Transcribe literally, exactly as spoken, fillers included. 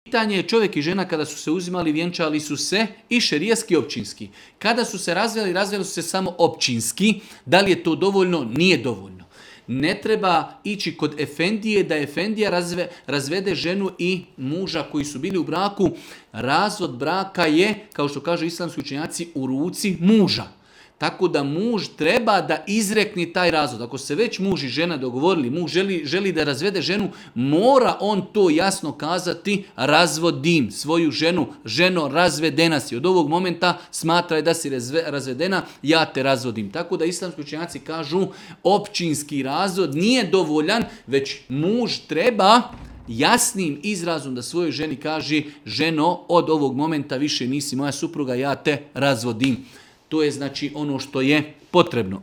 Pitanje je čovjek i žena kada su se uzimali, vjenčali su se i šerijski i općinski. Kada su se razveli, razveli su se samo općinski. Da li je to dovoljno? Nije dovoljno. Ne treba ići kod efendije da efendija razve, razvede ženu i muža koji su bili u braku. Razvod braka je, kao što kažu islamski učenjaci, u ruci muža. Tako da muž treba da izrekne taj razvod. Ako se već muž i žena dogovorili, muž želi, želi da razvede ženu, mora on to jasno kazati, razvodim svoju ženu, ženo razvedena si. Od ovog momenta smatraj da si razvedena, ja te razvodim. Tako da islamski učenjaci kažu općinski razvod nije dovoljan, već muž treba jasnim izrazom da svojoj ženi kaže, ženo, od ovog momenta više nisi moja supruga, ja te razvodim. To je znači ono što je potrebno.